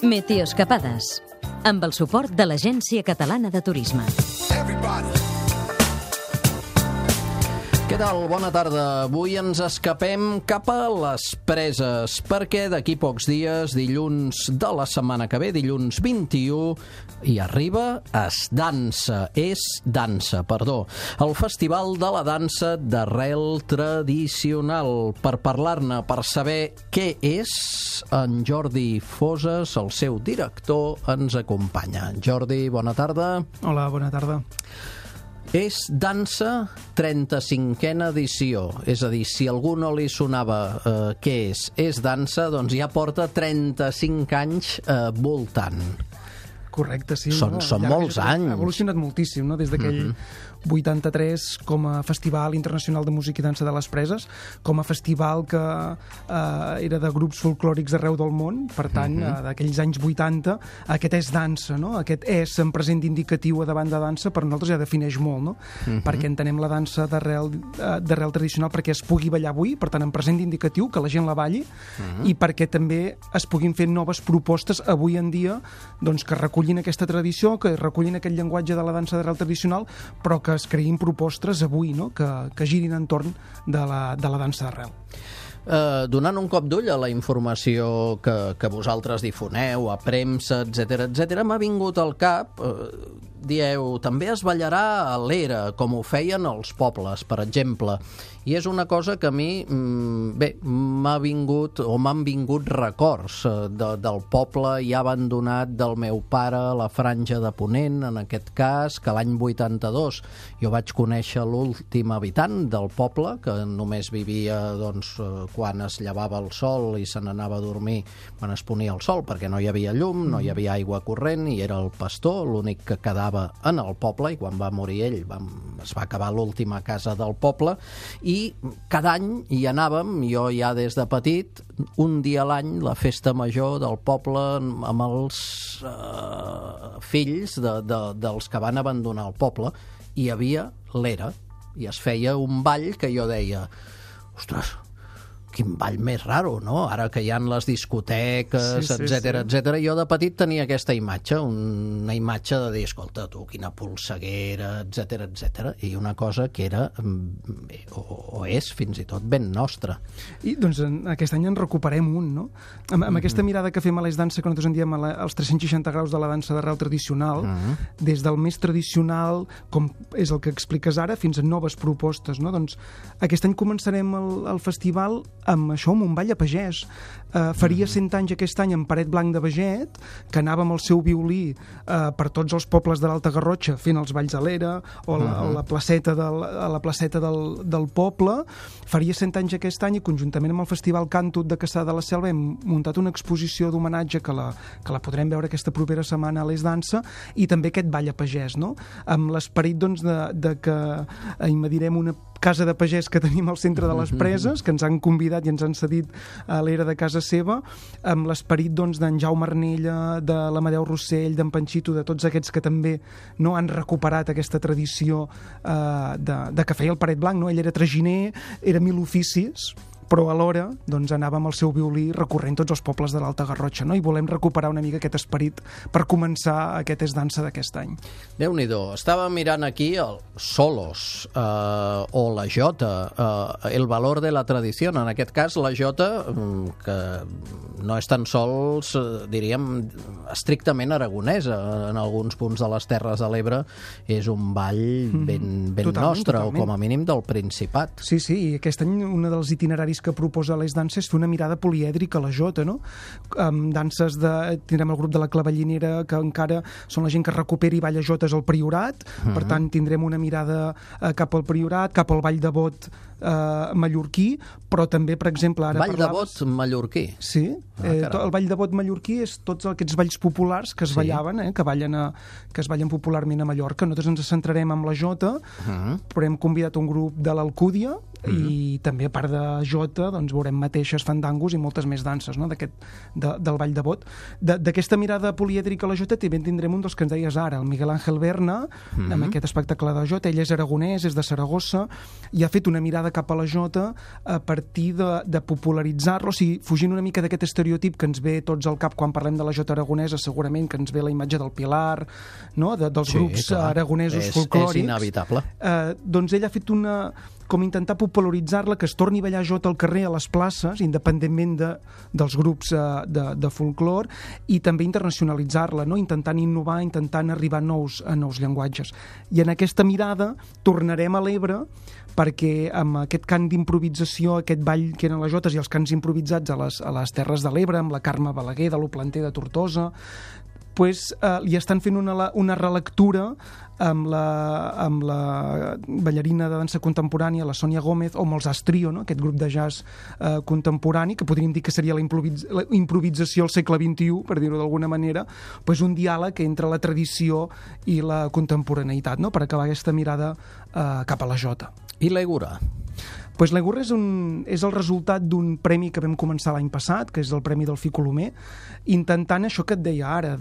Meteoescapades, amb el suport de l'Agència Catalana de Turisme. Què tal? Bona tarda. Avui ens escapem cap a les Preses, perquè d'aquí pocs dies, dilluns de la setmana que ve, dilluns 21, hi arriba Es Dansa, el Festival de la Dansa d'Arrel Tradicional. Per parlar-ne, per saber què és, en Jordi Foses, el seu director, ens acompanya. Jordi, bona tarda. Hola, bona tarda. És Dansa 35a edició, és a dir, si a algú no li sonava què és Dansa, doncs ja porta 35 anys voltant. Correcte, sí. Són molts anys. Ha evolucionat moltíssim, no? Des d'aquell 83 com a Festival Internacional de Música i Dansa de les Preses, com a festival que era de grups folclòrics d'arreu del món, per tant, d'aquells anys 80, aquest és dansa, no? Aquest és en present indicatiu a davant de dansa, per nosaltres ja defineix molt, no? Perquè entenem la dansa d'arrel tradicional perquè es pugui ballar avui, per tant, en present indicatiu, que la gent la balli, i perquè també es puguin fer noves propostes avui en dia, doncs, que recullin aquesta tradició, que recullin aquest llenguatge de la dansa d'arrel tradicional, però que es creïn propostes avui, no? que girin entorn de la dansa d'arrel. Donant un cop d'ull a la informació que vosaltres difoneu, a premsa, etc, m'ha vingut al cap, dieu, també es ballarà a l'era, com ho feien els pobles, per exemple, i és una cosa que a mi, m'han vingut records del poble ja abandonat del meu pare, la Franja de Ponent, en aquest cas, que l'any 82 jo vaig conèixer l'últim habitant del poble, que només vivia, doncs, quan es llevava el sol i se n'anava a dormir quan es ponia el sol, perquè no hi havia llum, no hi havia aigua corrent, i era el pastor, l'únic que quedava en el poble, i quan va morir ell es va acabar l'última casa del poble, i cada any hi anàvem, jo ja des de petit, un dia a l'any, la festa major del poble amb els fills dels que van abandonar el poble. Hi havia l'era, i es feia un ball que jo deia, ostres, quin ball més raro, no? Ara que hi ha les discoteques, etcètera. Jo de petit tenia aquesta imatge, una imatge de dir, escolta, tu, quina polseguera, etcètera, i una cosa que era, o és fins i tot ben nostra. I doncs aquest any en recuperem un, no? Amb aquesta mirada que fem a l'Es Dansa, que nosaltres en diem els 360 graus de la dansa d'arrel tradicional, des del més tradicional, com és el que expliques ara, fins a noves propostes, no? Doncs aquest any començarem el festival amb això, amb un ball a pagès. Faria 100 anys aquest any en Paret Blanc de Beget, que anava amb el seu violí per tots els pobles de l'Alta Garrotxa fent els balls a l'era o a la placeta del poble. Faria 100 anys aquest any, i conjuntament amb el Festival Càntut de Cassà de la Selva hem muntat una exposició d'homenatge que la podrem veure aquesta propera setmana a l'Es Dansa, i també aquest ball a pagès, no? Amb l'esperit, doncs, de que invadirem una casa de pagès que tenim al centre de les Preses, que ens han convidat i ens han cedit a l'era de casa seva, amb l'esperit, doncs, d'en Jaume Arnella, de l'Amadeu Rossell, d'en Panxito, de tots aquests que també no han recuperat aquesta tradició de que feia el Paret Blanc, no? Ell era traginer, era mil oficis, però alhora doncs, anava amb el seu violí recorrent tots els pobles de l'Alta Garrotxa, no? I volem recuperar una mica aquest esperit per començar aquest Es Dansa d'aquest any. Déu-n'hi-do, estava mirant aquí el Solos o la jota, el valor de la tradició, en aquest cas la jota, que no és tan sols, diríem, estrictament aragonesa, en alguns punts de les Terres de l'Ebre és un ball ben nostre, o com a mínim del Principat. Sí, i aquest any un dels itineraris que proposa l'Es Dansa és fer una mirada polièdrica a la jota, no? Amb danses tindrem el grup de la Clavellinera, que encara són la gent que recupera i balla jotes al Priorat, per tant tindrem una mirada cap al Priorat, cap al Ball de Bot mallorquí, però també, per exemple, ara Ball de Bot mallorquí? Sí, el Ball de Bot mallorquí és tots aquests balls populars que es ballaven, que es ballen popularment a Mallorca. Nosaltres ens centrarem en la jota, però hem convidat un grup de l'Alcúdia, i també, a part de jota, doncs veurem mateixes, fandangos i moltes més danses, no? Del Ball de Bot. D'aquesta mirada polièdrica a la jota també tindrem un dels que ens deies ara, el Miguel Ángel Berna, amb aquest espectacle de jota. Ell és aragonès, és de Saragossa, i ha fet una mirada cap a la jota a partir de popularitzar-lo, o sigui, fugint una mica d'aquest estereotip que ens ve tots al cap quan parlem de la jota aragonesa, segurament que ens ve la imatge del Pilar, no? Dels grups aragonesos folclòrics. És inevitable. Doncs ell ha fet com intentar popularitzar-la, que es torni a ballar jota al carrer, a les places, independentment dels grups de folclor, i també internacionalitzar-la, no? Intentant innovar, intentant arribar a nous llenguatges. I en aquesta mirada tornarem a l'Ebre, perquè amb aquest cant d'improvisació, aquest ball que eren les jotes i els cants improvisats a les Terres de l'Ebre, amb la Carme Balaguer de l'Oplanter de Tortosa, li estan fent una relectura amb la ballarina de dansa contemporània, la Sònia Gómez, o amb els Astrio, no? Aquest grup de jazz contemporani, que podríem dir que seria la improvisació al segle XXI, per dir-ho d'alguna manera, un diàleg entre la tradició i la contemporaneïtat, no? Per acabar aquesta mirada cap a la jota. I l'Egura? L'Egura és el resultat d'un premi que vam començar l'any passat, que és el Premi del Colomer, intentant això que et deia ara,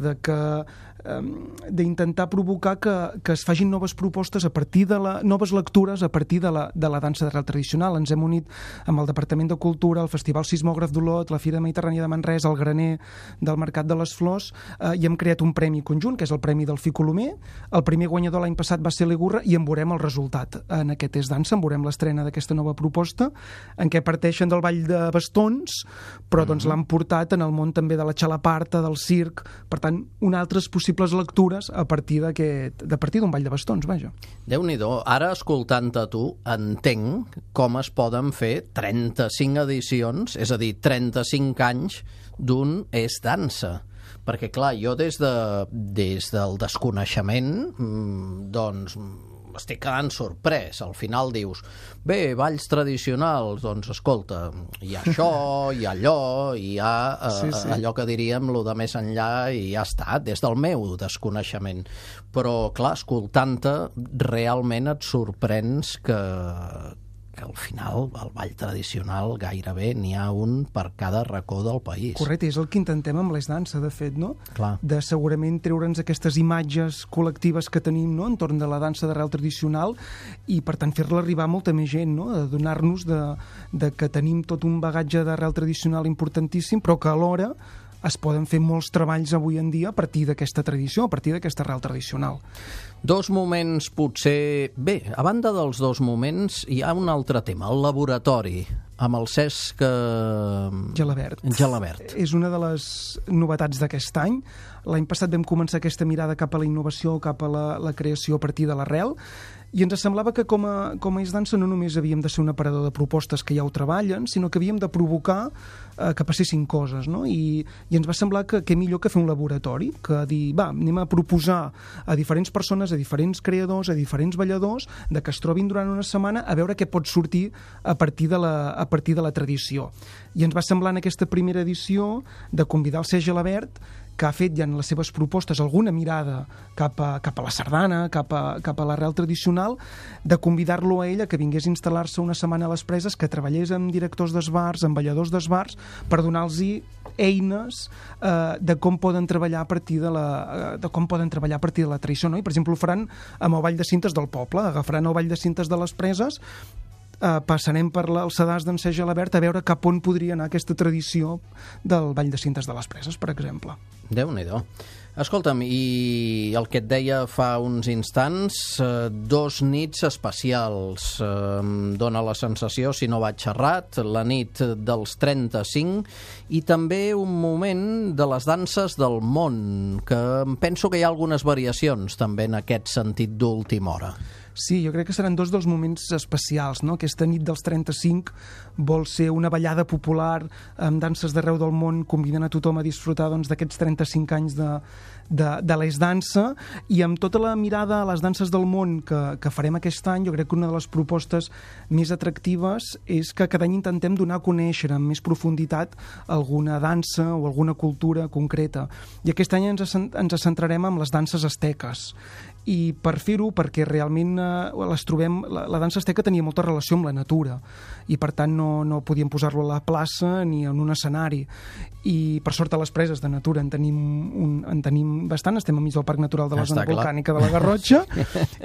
d'intentar provocar que es facin noves propostes a partir noves lectures a partir de la dansa d'arrel tradicional. Ens hem unit amb el Departament de Cultura, el Festival Sismògraf d'Olot, la Fira Mediterrània de Manresa, el Graner del Mercat de les Flors, i hem creat un premi conjunt, que és el Premi del Colomer. El primer guanyador l'any passat va ser l'Egura, i en veurem el resultat. En aquest És Dansa en veurem l'estrena d'aquesta nova proposta, en què parteixen del ball de bastons, però doncs l'han portat en el món també de la xalaparta, del circ, per tant, altres possibles lectures a partir d'un ball de bastons, vaja. Déu-n'hi-do, ara escoltant-te tu entenc com es poden fer 35 edicions, és a dir, 35 anys d'un És Dansa. Perquè, clar, jo des del desconeixement, doncs estic quedant sorprès. Al final dius, bé, balls tradicionals, doncs escolta, hi ha això, hi ha allò, hi ha allò que diríem, lo de més enllà, i ja està, des del meu desconeixement. Però, clar, escoltant-te, realment et sorprens que al final, el ball tradicional gairebé n'hi ha un per cada racó del país. Correcte, és el que intentem amb l'És Dansa, de fet, no? Clar. De segurament treure'ns aquestes imatges col·lectives que tenim, no?, entorn de la dansa d'arrel tradicional, i per tant fer-la arribar a molta més gent, no?, de donar-nos de que tenim tot un bagatge d'arrel tradicional importantíssim, però que alhora es poden fer molts treballs avui en dia a partir d'aquesta tradició, a partir d'aquesta arrel tradicional. Dos moments potser... Bé, a banda dels dos moments hi ha un altre tema, el laboratori, amb el Cesc Gelabert. És una de les novetats d'aquest any. L'any passat vam començar aquesta mirada cap a la innovació, cap a la creació a partir de l'arrel, i ens semblava que com a És Dansa no només havíem de ser un aparador de propostes que ja ho treballen, sinó que havíem de provocar que passessin coses, no? I ens va semblar que millor que fer un laboratori, que dir, anem a proposar a diferents persones, a diferents creadors, a diferents balladors, de que es trobin durant una setmana a veure què pot sortir a partir de la tradició. I ens va semblar en aquesta primera edició de convidar el Cesc Gelabert, que ha fet ja en les seves propostes alguna mirada cap a la sardana, cap a l'arrel tradicional, de convidar-lo a ell a que vingués a instal·lar-se una setmana a les Preses, que treballés amb directors d'esbars, amb balladors d'esbars, per donar-los eines de com poden treballar a partir de la tradició, no? I, per exemple, ho faran amb el Ball de Cintes del poble, agafaran el Ball de Cintes de les Preses, passarem per els sedars d'en Cesc Gelabert a veure cap on podria anar aquesta tradició del Ball de Cintes de les Preses, per exemple. Déu-n'hi-do. Escolta'm, i el que et deia fa uns instants, 2 nits especials. Dóna la sensació, si no vaig errat, la nit dels 35, i també un moment de les danses del món, que penso que hi ha algunes variacions també en aquest sentit d'última hora. Sí, jo crec que seran 2 dels moments especials, no? Aquesta nit dels 35 vol ser una ballada popular amb danses d'arreu del món, convidant a tothom a disfrutar d'aquests 35 anys de l'És Dansa, i amb tota la mirada a les danses del món que farem aquest any, jo crec que una de les propostes més atractives és que cada any intentem donar a conèixer amb més profunditat alguna dansa o alguna cultura concreta. I aquest any ens centrarem en les danses asteques. i per fer-ho, perquè realment les trobem, la dansa asteca tenia molta relació amb la natura i per tant no podíem posar-lo a la plaça ni en un escenari, i per sort a les preses de natura en tenim bastant, estem enmig del Parc Natural de la Zona Volcànica de la Garrotxa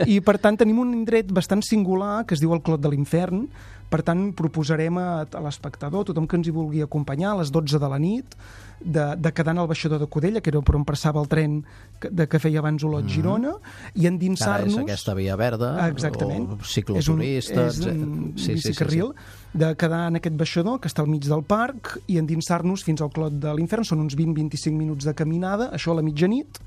i per tant tenim un indret bastant singular que es diu el Clot de l'Infern. Per tant, proposarem a l'espectador, tothom que ens hi vulgui acompanyar, a les 12 de la nit, de quedar en el baixador de Codella, que era per on passava el tren que feia abans Olot-Girona, i endinsar-nos... Ara és aquesta via verda, o cicloturista... És un bicicarril, de quedar en aquest baixador, que està al mig del parc, i endinsar-nos fins al Clot de l'Infern. Són uns 20-25 minuts de caminada, això a la mitjanit,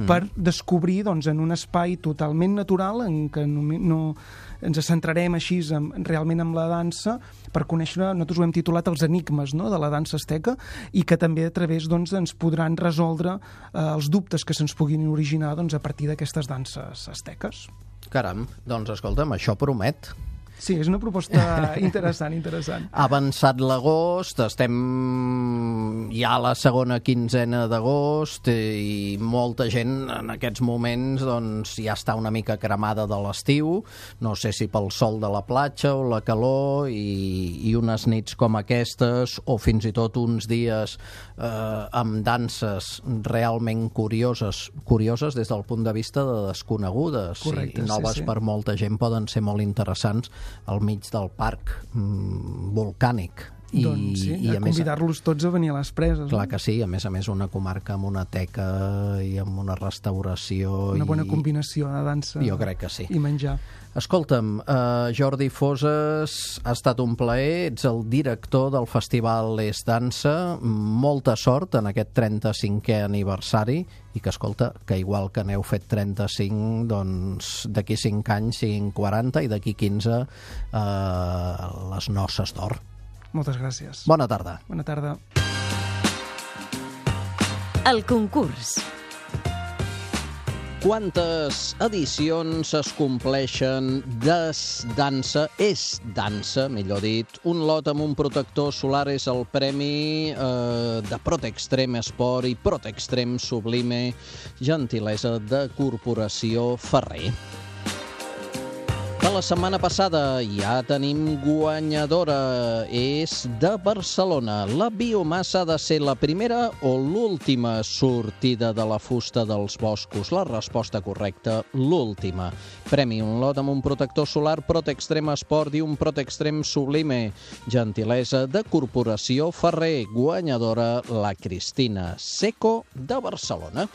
per descobrir en un espai totalment natural en què no ens centrarem així realment en la dansa, per conèixer, nosaltres ho hem titulat els enigmes de la dansa asteca, i que també a través ens podran resoldre els dubtes que se'ns puguin originar a partir d'aquestes danses asteques. Caram, doncs escolta'm, això promet. Sí, és una proposta interessant. Ha avançat l'agost, estem ja a la segona quinzena d'agost i molta gent en aquests moments ja està una mica cremada de l'estiu, no sé si pel sol de la platja o la calor, i unes nits com aquestes, o fins i tot uns dies amb danses realment curioses des del punt de vista de desconegudes. Correcte, i noves per molta gent, poden ser molt interessants al mig del parc volcànic. Doncs sí, a convidar-los tots a venir a les preses. Clar que sí, a més una comarca amb una teca i amb una restauració. Una bona combinació de dansa, jo crec que sí, i menjar. Escolta'm, Jordi Foses, ha estat un plaer, ets el director del Festival És Dansa, molta sort en aquest 35è aniversari, i que, escolta, que igual que n'heu fet 35, doncs d'aquí 5 anys siguin 40 i d'aquí 15 les noces d'or. Moltes gràcies. Bona tarda. Bona tarda. El concurs. Quantes edicions es compleixen d'És Dansa, millor dit? Un lot amb un protector solar és el premi de Protextrem Esport i Protextrem Sublime, gentilesa de Corporació Ferrer. De la setmana passada ja tenim guanyadora, és de Barcelona. La biomassa ha de ser la primera o l'última sortida de la fusta dels boscos? La resposta correcta, l'última. Premi un lot amb un protector solar Protextrem Esport i un Protextrem Sublime, gentilesa de Corporació Ferrer. Guanyadora, la Cristina Seco de Barcelona.